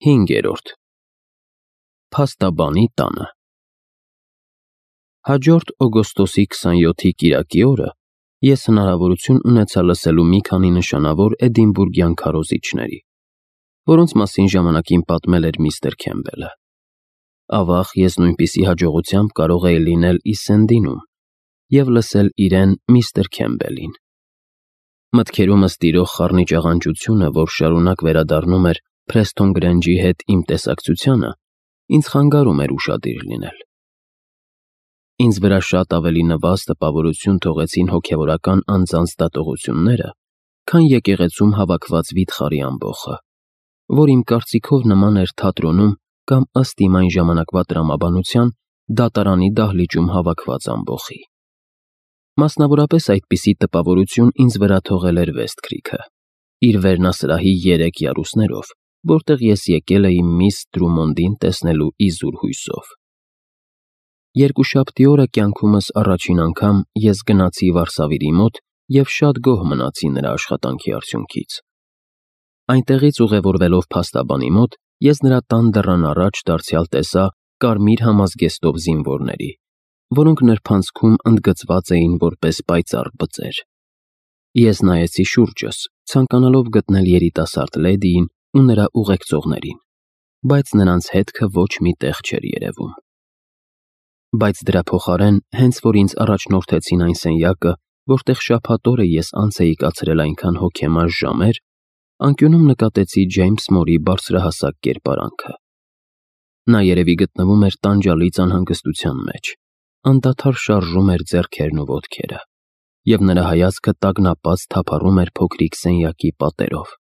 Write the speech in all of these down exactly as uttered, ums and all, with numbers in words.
Հինգերորդ Փաստաբանի տանը Հաջորդ օգոստոսի քսանյոթի կիրակի օրը ես հնարավորություն ունեցա լսելու մի քանի նշանավոր էդինբուրգյան քարոզիչների, որոնց մասին ժամանակին պատմել էր միստր Քեմբելը։ Ավաղ ես նույնպիսի հաջողությամբ կարող էի լինել Իսսենդինում և լսել իրեն միստր Քեմբելին։ Մտքերումս տիրող խառնիչ աղանջությունը, որ շարունակ վերադառնում էր Փրեսթոն Գրենջի հետ իմ տեսակցությանը, ինձ խանգարում էր ուշադիր լինել։ Ինձ վրա շատ ավելի նվազ տպավորություն թողեցին հոգևորական անձանց դատողությունները, քան եկեղեցում հավաքված վիթխարի ամբոխը, որ իմ կարծիքով նման էր թատրոնում կամ ըստ իմ այն ժամանակվա տրամաբանության դատարանի դահլիճում հավաքված ամբոխի։ Մասնավորապես այդպիսի տպավորություն ինձ վրա թողել էր Վեսթքրիքը, իր վերնասրահի երեք յարուսներով, որտեղ ես եկել էի միս Տրումոնդին տեսնելու իզուր հույսով։ Երկուշաբթի օրը կյանքումս առաջին անգամ ես գնացի վարսավիրի մոտ և շատ գոհ մնացի նրա աշխատանքի արդյունքից։ Այնտեղից ուղևորվելով փաստաբանի մոտ, ես նրա տան դռան առաջ դարձյալ տեսա կարմիր համազգեստով զինվորների, որոնք նրբանցքում ընդգծված էին որպես պայծառ բծեր։ Ես նայեցի շուրջս, ցանկանալով գտնել երիտասարդ լեդիին ու նրա ուղեկցողներին, բայց նրանց հետքը ոչ մի տեղ չէր երևում։ Բայց դրա փոխարեն, հենց որ ինձ առաջնորդեցին այն սենյակը, որտեղ շաբաթ օրը ես անց էի կացրել այնքան հոգեմար ժամեր, անկյունում նկատեցի Ջեյմս Մորի բարձրահասակ կերպարանքը։ Նա երևի գտնվում էր տանջալից անհանգստության մեջ, անդադար շարժում էր ձեռքերն ու ոտքերը, և նրա հայացքը տագնապած թափառում էր փոքրիկ սենյակի պատերով։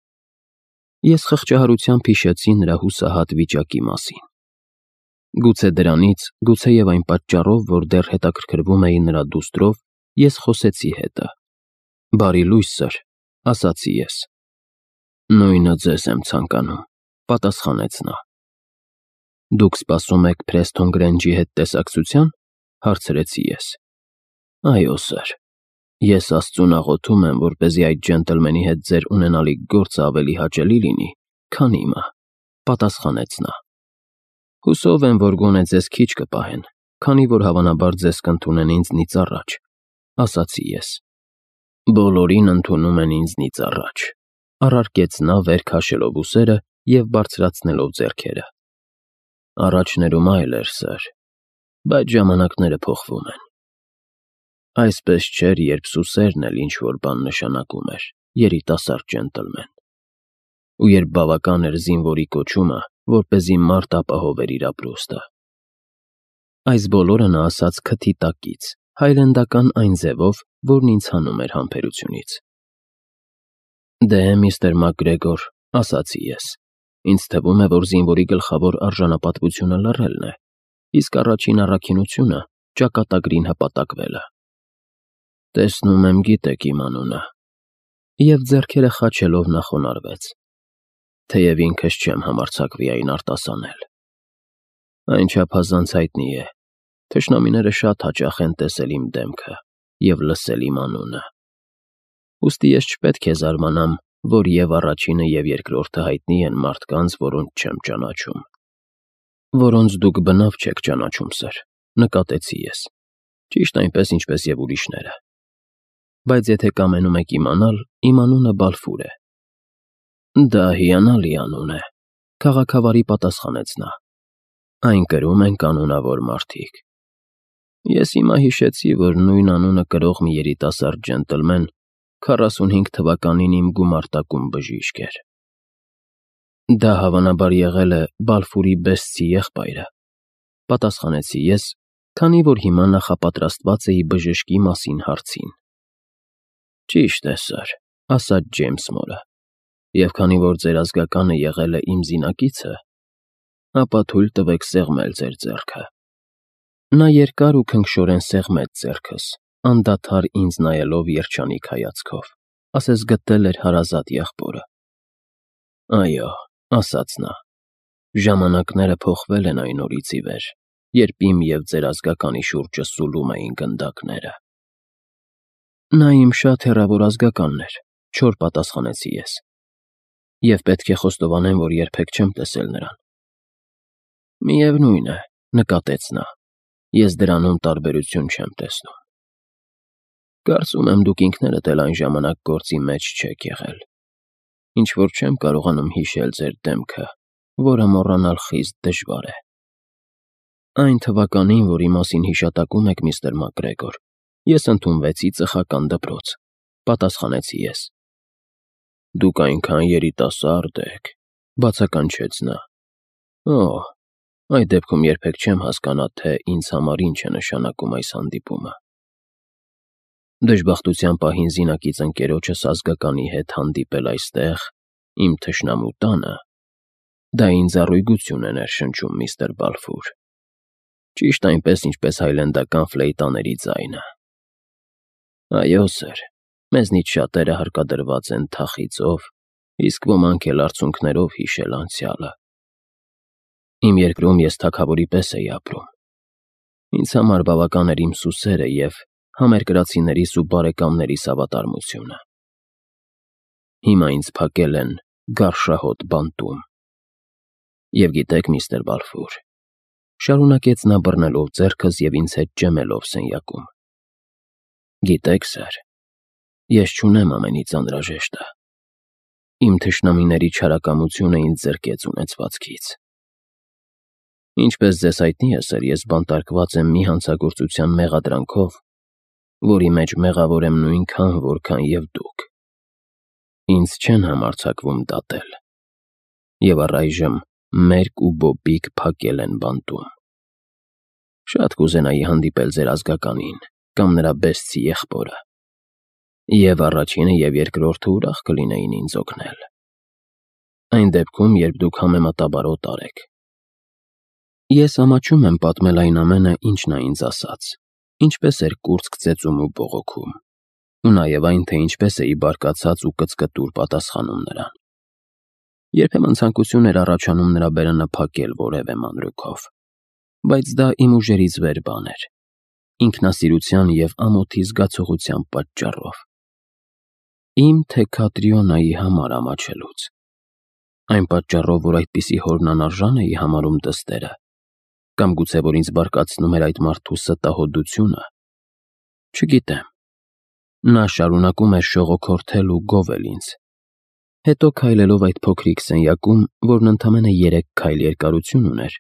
Ես խղճահարությամբ հիշեցի նրա հուսահատ վիճակի մասին։ Գուցե դրանից, գուցեև այն պատճառով, որ դեռ հետաքրքրվում էի նրա դուստրով, ես խոսեցի հետը։ «Բարի լույս, սըր», ասացի ես։ «Նույնը ձեզ եմ ցանկանում», պատասխանեց նա։ «Դուք սպասում եք Փրեսթոն Գրենջի հետ տեսակցության», հարցրեցի ես։ «Այո, սըր, ես Աստծուն աղոթում եմ, որպեսզի այդ ջենտլմենի հետ ձեր ունենալիք գործը ավելի հաճելի լինի, քան իմը», պատասխանեց նա։ «Հուսով եմ, որ գոնե ձեզ քիչ կպահեն, քանի որ հավանաբար ձեզ կընդունեն ինձնից առաջ», ասացի ես։ «Բոլորին ընդունում են ինձնից առաջ», առարկեց նա վեր քաշելով ուսերը և բարձրացնելով ձեռքերը։ «Առաջներում այլ էր, սըր, բայց ժամանակները փոխվում են։ Այսպես չէր, երբ Սուսերն էլ ինչ-որ բան նշանակում էր, երիտասարդ ջենտլմեն, ու երբ բավական էր զինվորի կոչումը, որպեսզի մարդ ապահովեր իր ապրուստը»։ Այս բոլորը նա ասաց քթի տակից, հայլենդական այն ձևով, որն ինձ հանում էր համբերությունից։ «Դե, միստր ՄակԳրեգոր», ասացի ես, «ինձ թվում է, որ զինվորի գլխավոր արժանապատվությունը լռելն է, իսկ առաջին առաքինությունը ճակատագրին հպատակվելը»։ «Տեսնում եմ, գիտեք իմ անունը», և ձեռքերը խաչելով նա խոնարհվեց։ «Թեև ինքս չեմ համարձակվի այն արտասանել։ Այն չափազանց հայտնի է, թշնամիները շատ հաճախ են տեսել իմ դեմքը և լսել իմ անունը։ Ուստի ես չպետք է զարմանամ, որ և առաջինը, և երկրորդը հայտնի են մարդկանց, որոնց չեմ ճանաչում»։ «Որոնց դուք բնավ չեք ճանաչում, սըր», նկատեցի ես, «ճիշտ այնպես, ինչպես և ուրիշները։ Բայց եթե կամենում եք իմանալ, իմ անունը Բալֆուր է»։ «Դա հիանալի անուն է», քաղաքավարի պատասխանեց նա։ «Այն կրում են կանոնավոր մարդիկ։ Ես հիմա հիշեցի, որ նույն անունը կրող մի երիտասարդ ջենտլմեն քառասունհինգ թվականին իմ գումարտակում բժիշկ էր»։ «Դա հավանաբար եղել է Բալֆուրի Բեսթի եղբայրը», պատասխանեցի ես, քանի որ հիմա նախապատրաստված էի բժշկի մասին հարցին։ «Ճիշտ է, սըր», ասաց Ջեյմս Մորը, «և քանի որ ձեր ազգականը եղել է իմ զինակիցը, ապա թույլ տվեք սեղմել ձեր ձեռքը»։ Նա երկար ու քնքշորեն սեղմեց ձեռքս, անդադար ինձ նայելով երջանիկ հայացքով, ասես գտել էր հարազատ եղբորը։ «Այո», ասաց նա, «ժամանակները փոխվել են այն օրից ի վեր, երբ իմ և ձեր ազգականի շուրջը սուլում էին գնդակները»։ «Նա իմ շատ հեռավոր ազգականն էր», չոր պատասխանեցի ես։ Եվ պետք է խոստովանեմ, որ երբեք չեմ տեսել նրան։ Միևնույն է, նկատեց նա, ես դրանում տարբերություն չեմ տեսնում։ Կարծում եմ դուք ինքներդ էլ այն ժամանակ գործի մեջ չեք եղել, ինչ որ չեմ կարողանում հիշել ձեր դեմքը, որը մոռանալ խիստ դժվար է։ Այն թվականին, որի մասին հիշատակում եք, միստր Մակգրեգոր, ես ընդունվեցի ծխական դպրոց, պատասխանեցի ես։ Դուք այնքան երիտասարդ եք, բացականչեց նա։ Օ, այդ դեպքում երբեք չեմ հասկանա, թե ինձ համար ինչ է նշանակում այս հանդիպումը։ Դժբախտության պահին զինակից ընկերոջս ազգականի հետ հանդիպել այստեղ, իմ թշնամու տանը, դա ինձ առույգություն է ներշնչում, միստր Բալֆուր, ճիշտ այնպես, ինչպես հայլենդական ֆլեյտաների ձայնը։ Այո, սըր, մեզնից շատերը հարկադրված են թախիծով, իսկ ոմանք էլ արցունքներով հիշել անցյալը։ Իմ երկրում ես թագավորի պես էի ապրում։ Ինձ համար բավական էր իմ սուսերը և համերկրացիներիս ու բարեկամներիս հավատարմությունը։ Հիմա ինձ փակել են գարշահոտ բանտում։ Եվ գիտեք, միստր Բալֆուր, շարունակեց նա բռնելով ձեռքս և ինձ հետ ջեմելով սենյակում։ Գիտեք, սըր, ես չունեմ ամենից անհրաժեշտը։ Իմ թշնամիների չարակամությունը ինձ զրկեց ունեցվածքից։ Ինչպես ձեզ հայտնի է, սըր, ես բանտարկված եմ մի հանցագործության մեղադրանքով, որի մեջ մեղավոր եմ նույնքան, որքան և դուք։ Ինձ չեն համարձակվում դատել։ Եվ առայժմ մերկ ու բոբիկ փակել են բանտում։ Շատ կուզենայի հանդիպել ձեր ազգականին կամ նրա բեսցի եղբորը, և առաջինը և երկրորդը ուրախ կլինեին ինձ օգնել։ Այն դեպքում, երբ դուք համեմատաբարոտ արեք։ Ես ամաչում եմ պատմել այն ամենը, ինչ նա ինձ ասաց, ինչպես էր կուրծք ծեծում ու բողոքում, ու նաև այն, թե ինչպես էի բարկացած ու կծկտուր պատասխանում նրան։ Երբեմն ցանկություն էր առաջանում նրա բերանը փակել որևէ մանրուքով, բայց դա իմ ուժերից վեր բան էր, ինքնասիրության և ամոթի զգացողության պատճառով։ Իմ թե Քատրիոնայի համար ամաչելուց։ Այն պատճառով, որ այդպիսի հորնանարժան էի համարում դստերը, կամ գուցե որ ինձ բարկացնում էր այդ մարդու ստահոդությունը։ Չգիտեմ։ Նա շարունակում էր շողոքորթել ու գովել ինձ։ Հետո քայլելով այդ փոքրիկ սենյակում, որն ընդամենը երեք քայլ երկարություն ուներ,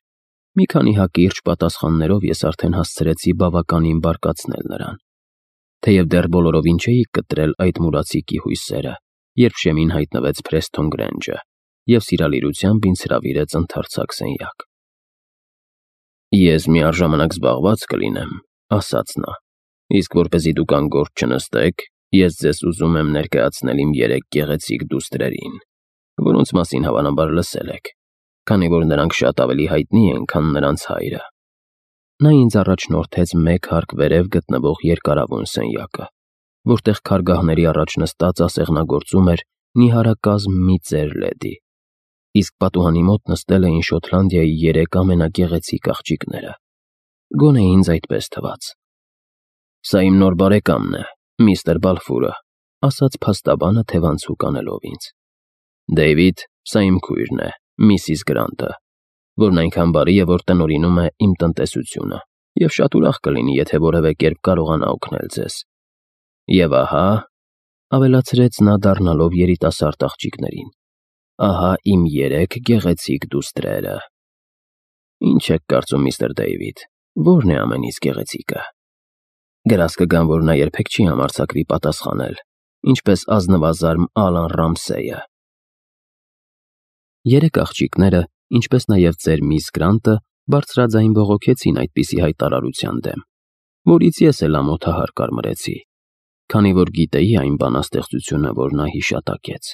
մի քանի հակիրճ պատասխաններով ես արդեն հասցրեցի բավականին բարկացնել նրան, թեև դեռ բոլորովին չէի կտրել այդ մուրացիկի հույսերը, երբ շեմին հայտնվեց Փրեսթոն Գրենջը և սիրալիրությամբ ինձ հրավիրեց ընդարձակ սենյակ։ Ես միառժամանակ զբաղված կլինեմ, ասաց նա, իսկ որպեսզի դուք անգործ չնստեք, ես ձեզ ուզում եմ ներկայացնել իմ երեք գեղեցիկ դուստրերին, որոնց մասին հավանաբար լսել եք, քանի որ նրանք շատ ավելի հայտնի են, քան նրանց հայրը։ Նա ինձ առաջնորդեց մեկ հարկ վերև գտնվող երկարավուն սենյակը, որտեղ քարգահների առաջ նստած ասեղնագործում էր նիհարակազմ մի ծեր լեդի, իսկ պատուհանի մոտ նստել էին Շոտլանդիայի երեք ամենագեղեցիկ աղջիկները։ Գոնե ինձ այդպես թվաց։ Սա իմ նոր բարեկամն է, միստր Բալֆուրը, ասաց փաստաբանը թևանցուկ անելով ինձ։ Դեյվիդ, սա իմ քույրն է, միսիս Գրանտը, որն այնքան բարի է, որ տնօրինում է իմ տնտեսությունը, և շատ ուրախ կլինի, եթե որևէ կերպ կարողանա օգնել ձեզ։ Եվ ահա, ավելացրեց նա դառնալով երիտասարդ աղջիկներին, ահա իմ երեք գեղեցիկ դուստրերը։ Ինչ եք կարծում, միստր Դեյվիդ, ո՞րն է ամենից գեղեցիկը։ Գրազ կգամ, որ նա երբեք չի համարձակվի պատասխանել, ինչպես ազնվազարմ Ալան Ռամսեյը։ Երեք աղջիկները, ինչպես նաև ծեր միս Գրանտը, բարձրաձայն բողոքեցին այդպիսի հայտարարության դեմ, որից ես էլ ամոթահար կարմրեցի, քանի որ գիտեի այն բանաստեղծությունը, որ նա հիշատակեց։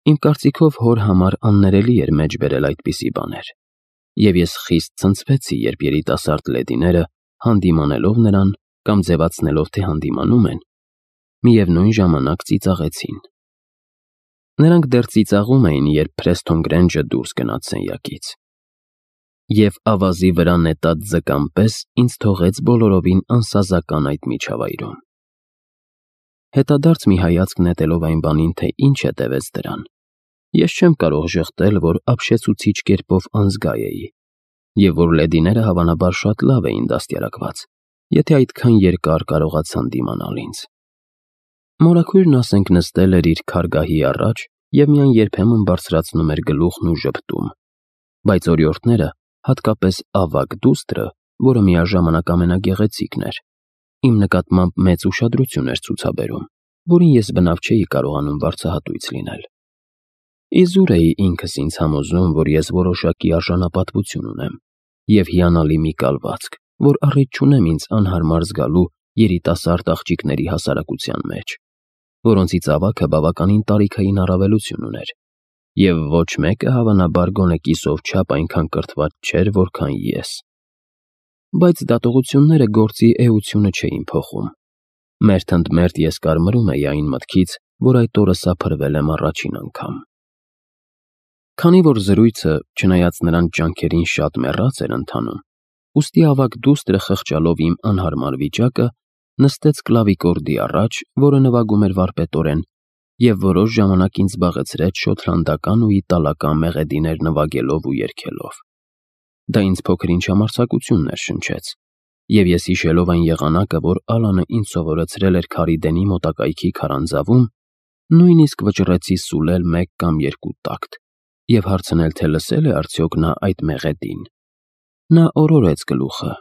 Իմ կարծիքով հոր համար աններելի էր մեջ բերել այդպիսի բաներ, և ես խիստ ցնցվեցի, երբ երիտասարդ լեդիները, հանդիմանելով նրան կամ ձևացնելով, թե հանդիմանում են, միևնույն ժամանակ ծիծաղեցին։ Նրանք դեռ ծիծաղում էին, երբ Փրեսթոն Գրենջը դուրս գնաց սենյակից։ Եվ ավազի վրա նետած ձկան պես ինձ թողեց բոլորովին անսազական այդ միջավայրում։ Հետադարձ մի հայացք նետելով այն բանին, թե ինչ հետևեց դրան, Ես չեմ կարող ժխտել, որ ապշեցուցիչ կերպով անզգա էի, և որ լեդիները հավանաբար շատ լավ էին դաստիարակված, եթե այդքան երկար կարողացան դիմանալ ինձ։ Մորաքույրն ասենք նստել էր իր քարգահի առաջ և միայն երբեմն բարձրացնում էր գլուխն ու ժպտում, բայց օրիորդները, հատկապես ավագ դուստրը, որը միաժամանակ ամենագեղեցիկն էր, իմ նկատմամբ մեծ ուշադրություն էր ցուցաբերում, որին ես բնավ չէի կարողանում վարձահատույց լինել։ Իզուր էի ինքս ինձ համոզում, որ ես որոշակի արժանապատվություն ունեմ և հիանալի մի կալվածք, որ առիթ չունեմ ինձ անհարմար զգալու երիտասարդ աղջիկների հասարակության մեջ, որոնցից ավագը բավականին տարիքային առավելություն ուներ, և ոչ մեկը հավանաբար գոնե կիսով չափ այնքան կրթված չէր, որքան ես։ Բայց դատողությունները գործի էությունը չէին փոխում։ Մերթ ընդ մերթ ես կարմրում էի այն մտքից, որ այդ օրը սափրվել եմ առաջին անգամ։ Քանի որ զրույցը, չնայած նրանց ջանքերին, շատ մեռած էր ընթանում, ուստի ավագ դուստրը, խղճալով իմ անհարմար վիճակը, նստեց կլավիկորդի առաջ, որը նվագում էր վարպետորեն, և որոշ ժամանակ ինձ զբաղեցրեց շոտլանդական ու իտալական մեղեդիներ նվագելով ու երգելով։ Դա ինձ փոքր-ինչ համարձակություն ներշնչեց, և ես հիշելով այն եղանակը, որ Ալանը ինձ սովորեցրել էր Քարիդենի մոտակայքի քարանձավում, նույնիսկ վճռեցի սուլել մեկ կամ երկու տակտ և հարցնել, թե լսել է արդյոք նա այդ մեղեդին։ Նա օրորեց գլուխը։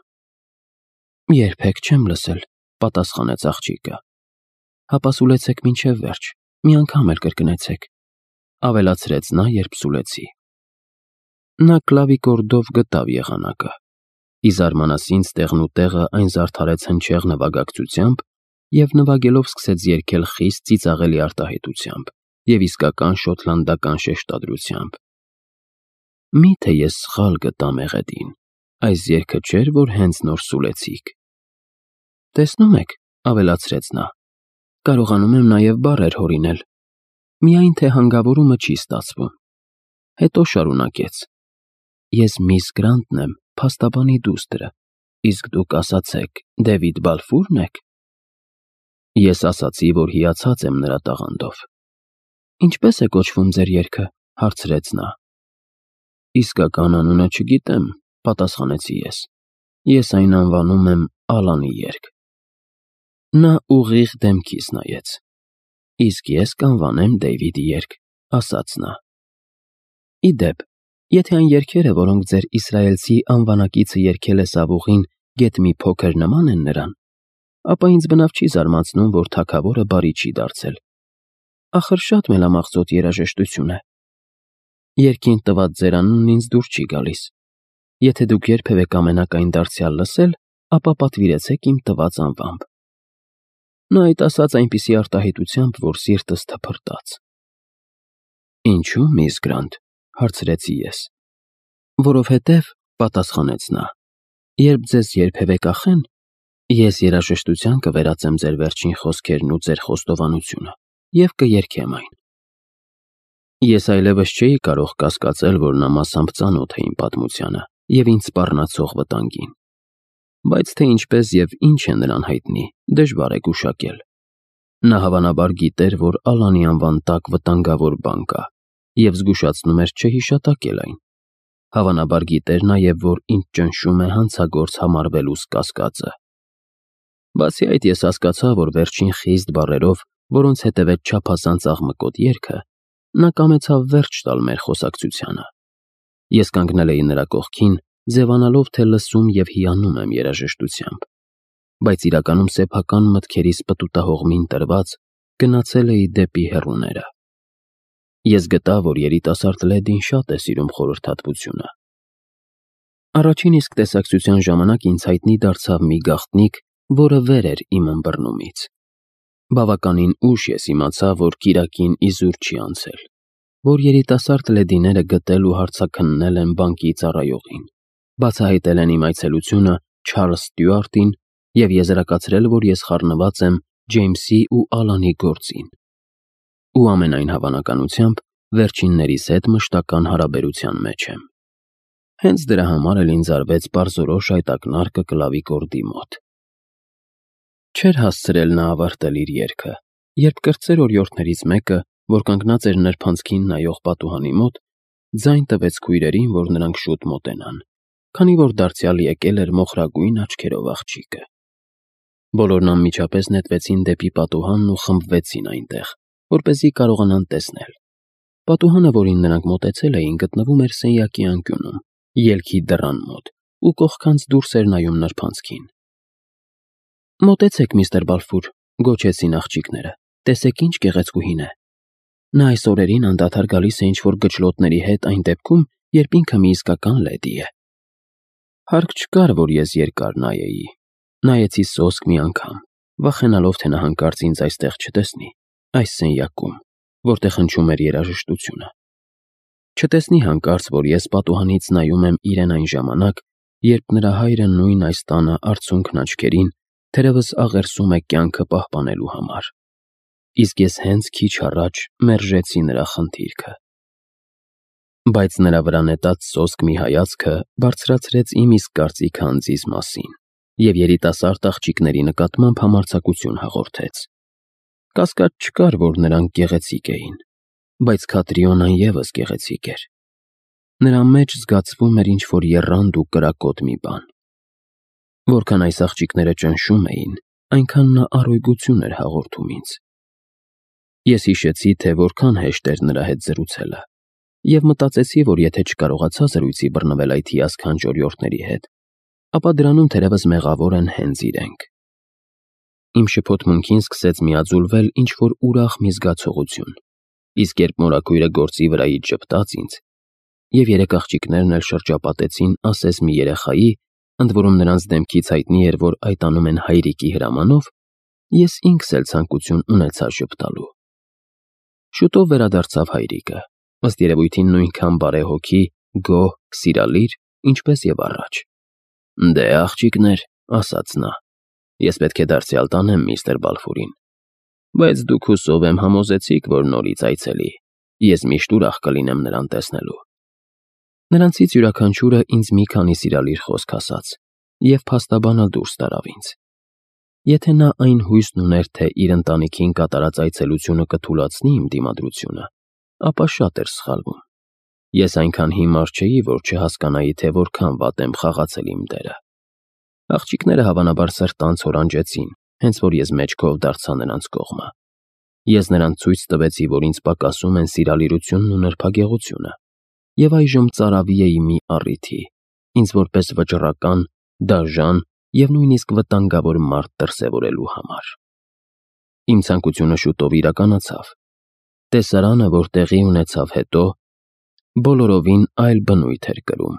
«Երբեք չեմ լսել», պատասխանեց աղջիկը։ «Հապա սուլեցեք մինչև վերջ, մի անգամ էլ կրկնեցեք», ավելացրեց նա, երբ սուլեցի։ Նա կլավիկորդով գտավ եղանակը։ Ի զարմանաս ինձ տեղնուտեղը այն զարդարեց հնչեղ նվագակցությամբ և նվագելով սկսեց երգել խիստ ծիծաղելի արտահայտությամբ և իսկական շոտլանդական շեշտադրությամբ։ Մի՞թե ես սխալ գտա մեղեդին, այս երգը չէր, որ հենց նոր սուլեցիք։ Տեսնում եք, ավելացրեց նա, կարողանում եմ նաև բառեր հորինել, միայն թե հանգավորումը չի ստացվում։ Հետո շարունակեց. Ես միս Գրանտն եմ, փաստաբանի դուստրը, իսկ դուք ասացեք Դեվիդ Բալֆո՞ւրն եք։ Ես ասացի, որ հիացած եմ նրա տաղանդով։ Ինչպե՞ս է կոչվում ձեր երգը, հարցրեց նա։ Իսկական անունը չգիտեմ, պատասխանեցի ես։ Ես այն անվանում եմ Ալանի երգ։ Նա ուղիղ դեմքիս նայեց։ Իսկ ես կանվանեմ Դեյվիդի երգ, ասաց նա։ Ի դեպ, եթե այն երգերը, որոնք ձեր իսրայելցի անվանակիցը երգել է Սավուղին, գեթ մի փոքր նման են նրան, ապա ինձ բնավ չի զարմացնում, որ թագավորը բարի չի դարձել։ Ախր շատ մելամաղձոտ երաժշտություն է։ Երգին տված ձեր անունն ինձ դուր չի գալիս։ Եթե դուք երբևէ կամենաք այն դարձյալ լսել, ապա պատվիրեցեք իմ տված անվամբ։ Նա այդ ասաց այնպիսի արտահայտությամբ, որ սիրտս թփրտաց։ Ինչու՞, միս Գրանտ, հարցրեցի ես։ Որովհետև, պատասխանեց նա, երբ ձեզ երբևէ կախեն, ես երաժշտության կվերածեմ ձեր վերջին խոսքերն ու ձեր խոստովանությունը և կերգեմ այն։ Ես այլևս չէի կարող կասկածել, որ նա մասամբ ծանոթ է իմ պատմությանը և ինձ սպառնացող վտանգին, բայց թե ինչպես և ինչ է նրան հայտնի, դժվար է գուշակել։ Նա հավանաբար գիտեր, որ Ալանի անվան տակ վտանգավոր բան կա և զգուշացնում էր չհիշատակել այն։ Հավանաբար գիտեր նաև, որ ինձ ճնշում է հանցագործ համարվելուս կասկածը։ Բացի այդ, ես հասկացա, որ վերջին խիստ բառերով, որոնց հետևեց չափազանց աղմկոտ երգը, նա կամեցավ վերջ տալ մեր խոսակցությանը։ Ես կանգնել էի նրա կողքին, ձևանալով, թե լսում և հիանում եմ երաժշտությամբ, բայց իրականում սեփական մտքերիս պտուտահողմին տրված գնացել էի դեպի հեռուները։ Ես գտա, որ երիտասարդ լեդին շատ է սիրում խորհրդատվությունը։ Առաջին իսկ տեսակցության ժամանակ ինձ հայտնի դարձավ մի գաղտնիք, որը վեր էր իմ ըմբռնումից։ Բավականին ուշ ես իմացա, որ կիրակին իզուր չի անցել, որ երիտասարդ լեդիները գտել ու հարցաքննել են բանկի ծառայողին, բացահայտել են իմ այցելությունը Չարլզ Ստյուարտին և եզրակացրել, որ ես խառնված եմ Ջեյմսի ու Ալանի գործին, ու ամենայն հավանականությամբ վերջիններիս հետ մշտական հարաբերության մեջ եմ։ Հենց դրա համար էլ ինձ արվեց պարզորոշ այդ ակնարկը կլավիկորդի մոտ։ Չէր հասցրել նա ավարտել իր երգը, երբ կրտսեր օրիորդներից մեկը, որ կանգնած էր նրբանցքին նայող պատուհանի մոտ, ձայն տվեց քույրերին, որ նրանք շուտ մոտենան, քանի որ դարձյալ եկել էր մոխրագույն աչքերով աղջիկը։ Բոլորն անմիջապես նետվեցին դեպի պատուհանն ու խմբվեցին այնտեղ, որպեսզի կարողանան տեսնել։ Պատուհանը, որին նրանք մոտեցել էին, գտնվում էր սենյակի անկյունում, ելքի դռան մոտ, ու կողքանց դուրս էր նայում նրբանցքին։ «Մոտեցեք, միստր Բալֆուր», գոչեցին աղջիկները, «տեսեք ինչ գեղեցկուհին է։ Նա այս օրերին անդադար գալիս է ինչ-որ գչլոտների հետ այն դեպքում, երբ ինքը մի իսկական լեդի է»։ Հարկ չկար, որ ես երկար նայեի։ Նայեցի սոսկ մի անգամ, վախենալով, թե նա հանկարծ ինձ այստեղ չտեսնի, այս սենյակում, որտեղ հնչում էր երաժշտությունը։ Չտեսնի հանկարծ, որ ես պատուհանից նայում եմ իրեն այն ժամանակ, երբ նրա հայրը նույն այս տանը արցունքն աչքերին թերևս աղերսում է կյանքը պահպանելու համար։ Իսկ ես հենց քիչ առաջ մերժեցի նրա խնդիրքը։ Բայց նրա վրա նետած սոսկ մի հայացքը բարձրացրեց իմ իսկ կարծիքը անձիս մասին և երիտասարդ աղջիկների նկատմամբ համարձակություն հաղորդեց։ Կասկած չկար, որ նրանք գեղեցիկ էին, բայց Քատրիոնան ևս գեղեցիկ էր։ Նրա մեջ զգացվում էր ինչ-որ եռանդ ու կրակոտ մի բան։ Որքան այս աղջիկները ճնշում էին, այնքան նա առօգյություն էր հաղորդում ինձ։ Ես հիշեցի, թե որքան հեշտ էր նրա հետ զրուցելը, և մտածեցի, որ եթե չկարողացա զրույցի բռնվել այդ հիասքանչ օրիորդների հետ, ապա դրանում թերևս մեղավոր են հենց իրենք։ Իմ շփոթմունքին սկսեց միաձուլվել ինչ-որ ուրախ մի զգացողություն, իսկ երբ մորաքույրը գործի վրայից ժպտաց ինձ, և երեք աղջիկներն էլ շրջապատեցին ասես մի երեխայի, ընդ որում նրանց դեմքից հայտնի էր, որ այդ անում են հայրիկի հրամանով, ես ինքս էլ ցանկություն ունեցա ժպտալու։ Շուտով վերադարձավ հայրիկը, ըստ երևույթին նույնքան բարեհոգի, գոհ, սիրալիր, ինչպես և առաջ։ «Դե, աղջիկներ», ասաց նա, «ես պետք է դարձյալ տանեմ միստր Բալֆուրին, բայց դուք հուսով եմ համոզեցիք, որ նորից այցելի, ես միշտ ուրախ կլինեմ նրան տեսնելու»։ Նրանցից յուրաքանչյուրը ինձ մի քանի սիրալիր խոսք ասաց և փաստաբանալ դուրս տարավ ինձ։ Եթե նա այն հույսն ուներ, թե իր ընտանիքին կատարած այցելությունը կթուլացնի իմ դիմադրությունը, ապա շատ էր սխալվում։ Ես այնքան հիմար չէի, որ չհասկանայի, թե որքան վատ եմ խաղացել իմ դերը։ Աղջիկները հավանաբար սրտանց հորանջեցին, հենց որ ես մեջքով դարձա նրանց կողմը։ Ես նրանց ցույց տվեցի, որ ինձ պակասում են սիրալիրությունն ու նրբագեղությունը, և այժմ ծարավի էի մի առիթի, ինձ որպես վճռական, դաժան և նույնիսկ վտանգավոր մարդ դրսևորելու համար։ Իմ ցանկությունը շուտով իրականացավ։ Տեսարանը, որ տեղի ունեցավ հետո, բոլորովին այլ բնույթ էր կրում։